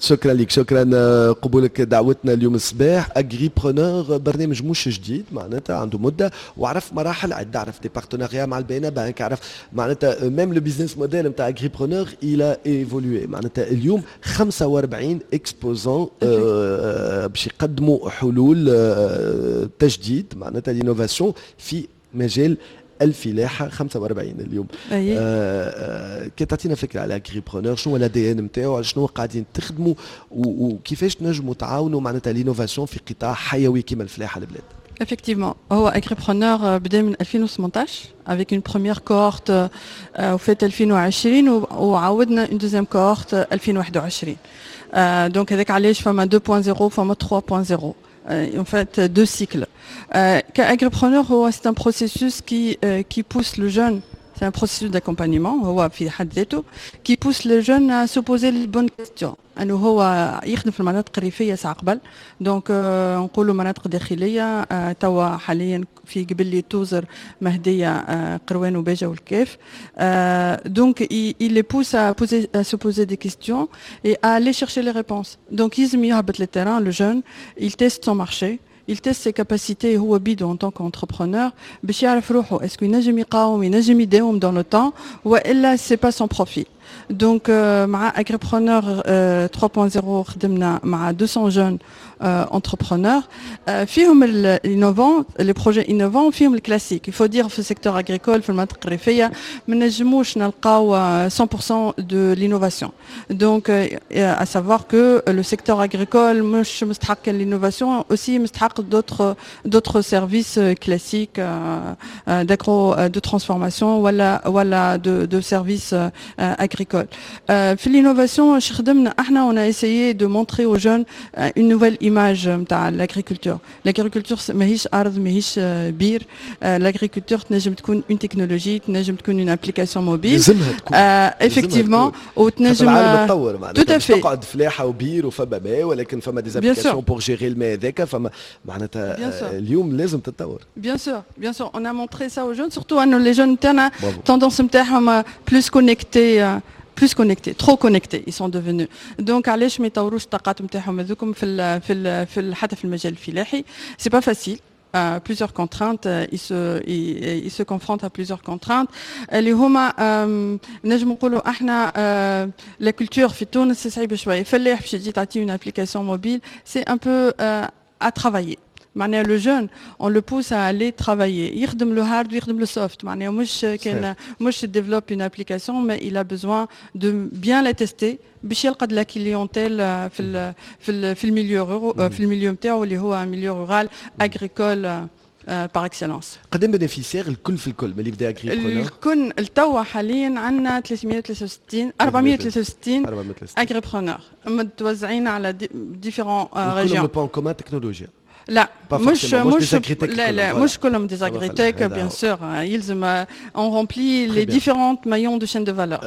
شكرا لك، شكرا قبولك دعوتنا اليوم الصباح. Agripreneur برنامج مش جديد، معناتها عنده مده وعرف مراحل عده، عرف des partenariats مع ال BNA Bank، عرف معناتها même le business model نتاع Agripreneur il a évolué. معناتها اليوم 45 exposants باش يقدموا حلول تجديد، معناتها l'innovation في مجال الفلاحه، 45 اليوم. كي تعطينا فكرة على Agripreneur، شنو هو l'ADN نتاعو، على شنو قاعدين تخدموا، وكيفاش تنجموا تعاونوا معناتها l'innovation في قطاع حيوي كما الفلاحة البلاد؟ Effectivement، هو Agripreneur بدا من 2018 avec une première cohorte وفات 2020، وعاودنا une deuxième cohorte 2021. Donc هذاك علاش فما 2.0، فما 3.0، en fait deux cycles. Agripreneur، c'est un processus qui pousse le jeune, c'est un processus d'accompagnement هو في حد ذاته qui pousse le jeune à se poser les bonnes questions. انه هو يخدم في المناطق الريفية ساعة قبل، donc نقولوا مناطق داخليه، توا حاليا في قبلي، توزر، مهديه، قروان وباجه والكاف. donc il les pousse à se poser des questions et à aller chercher les réponses. donc يلزم يهبط le terrain، le jeune il teste son marché، il teste ses capacités هو بيدو en tant qu'entrepreneur، باش يعرف روحه est-ce que ينجم يقاوم، ينجم يداوم dans le temps، والا c'est pas son profil. donc مع Agripreneur 3.0 خدمنا مع 200 jeunes entrepreneurs، فيهم ال innovants، les projets innovants، فيهم ال classique. il faut dire في ال secteur agricole، في المناطق الريفية ما نجموش نلقاو 100% de l'innovation. donc à savoir que le secteur agricole مش مستحق l'innovation، aussi مستحق d'autres services classiques d'agro de transformation ولا de services agricoles. في l'innovation خدمنا احنا، on a essayé de montrer aux jeunes une nouvelle image نتاع l'agriculture. l'agriculture ماهيش ارض، ماهيش بير. l'agriculture تنجم تكون une technologie، تنجم تكون une application mobile. لازمها تكون. effectivement، وتنجم العالم تطور، معناتها مش تقعد فلاحة وبير وفما ماء، ولكن فما des applications pour gérer الماء هذاك، فما معناتها اليوم لازم تتطور. bien sûr، bien sûr، on a montré ça aux jeunes، surtout انه les jeunes تاعنا tendance نتاعهم plus connectés، plus connectés، trop connectés ils sont devenus. donc علاش ما يطوروش الطاقات نتاعهم هذوكم في ال حتى في المجال الفلاحي؟ c'est pas facile، plusieurs contraintes، ils se confrontent à plusieurs contraintes اللي هما نجم نقولوا احنا la culture في تونس صعيبة شويه. فلاح باش تجي تعطيه une application mobile، c'est un peu à travailler. معناها le jeune on le pousse à aller travailler، يخدم le hard ويخدم le soft. معناها مش كان مش développe une application، mais il a besoin de bien la tester باش يلقى la clientèle في ال milieu نتاعو اللي هو milieu rural agricole par excellence. قداه bénéficiaires الكل في الكل ملي بدا Agripreneur؟ الكل التوا حاليا عندنا 363، 463 agripreneurs متوزعين على différentes régions. كلهم point commun تكنولوجيا؟ لا، مش لا لا، مش كلهم des agritech، bien sûr. يلزم on remplit les différentes maillons de chaîne de valeur.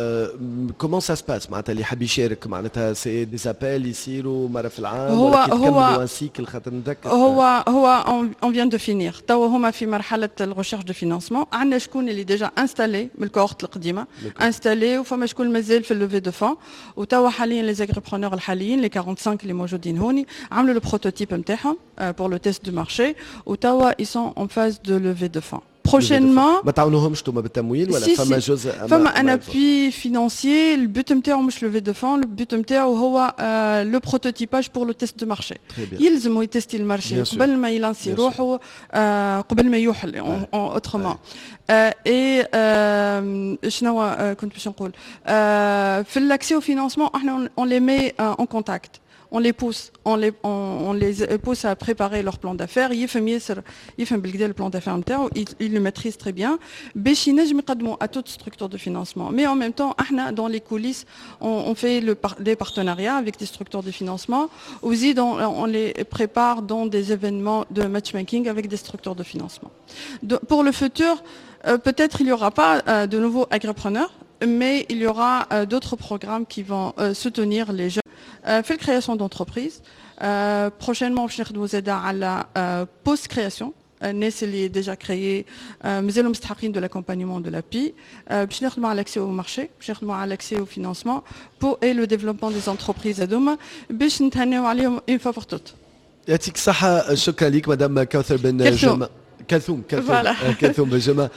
comment ça se passe؟ معناتها اللي حاب يشارك، معناتها c'est des appels يصيروا مرة في العام؟ هو هو un cycle؟ خاطر نتذكر هو on vient de finir. توا هما في مرحلة ال recherche de financement. عندنا شكون اللي déjà installé من ال cohorte القديمة installé، وفما شكون مازال في ال levée de fonds. وتوا حاليا les agripreneurs الحاليين، les 45 اللي موجودين هوني، عملوا le prototype نتاعهم pour le test du marché، وتوا ils sont en phase de levée de fonds prochainement. ما تعاونوهمش انتم بالتمويل ولا فما جزء؟ فما un appui financier. ال but نتاعو مش levée de fonds، ال but نتاعو هو le prototypage pour le test de marché. يلزمو يتستي ال marché قبل ما يلانسي روحه، قبل ما يوحل autrement. et شنو كنت باش نقول؟ في l'accès au financement، احنا on les met en contact، on les pousse, on les pousse à préparer leur plan d'affaires. يفهم ياسر، يفهم بالكدا le plan d'affaires نتاعو، il le maîtrise très bien باش ينجم يقدموا à toute structure de financement. Mais en même temps، احنا dans les coulisses on fait des partenariats avec des structures de financement. وزيد on les prépare dans des événements de matchmaking avec des structures de financement. Pour le futur، peut-être il n'y aura pas de nouveaux agripreneurs، mais il y aura d'autres programmes qui vont soutenir les jeunes في ال création d'entreprise. prochainement باش نخدموا زاده على post création. الناس اللي déjà créé مازالوا مستحقين de l'accompagnement de l'API، باش نخدموا على l'accès au marché، باش نخدموا على l'accès au financement pour et le développement des entreprises هذوما، باش نتهناو عليهم une fois pour toutes. يعطيك الصحة، شكرا لك مدام كوثر بن جمع، كلثوم، كلثوم، كلثوم بن جمع.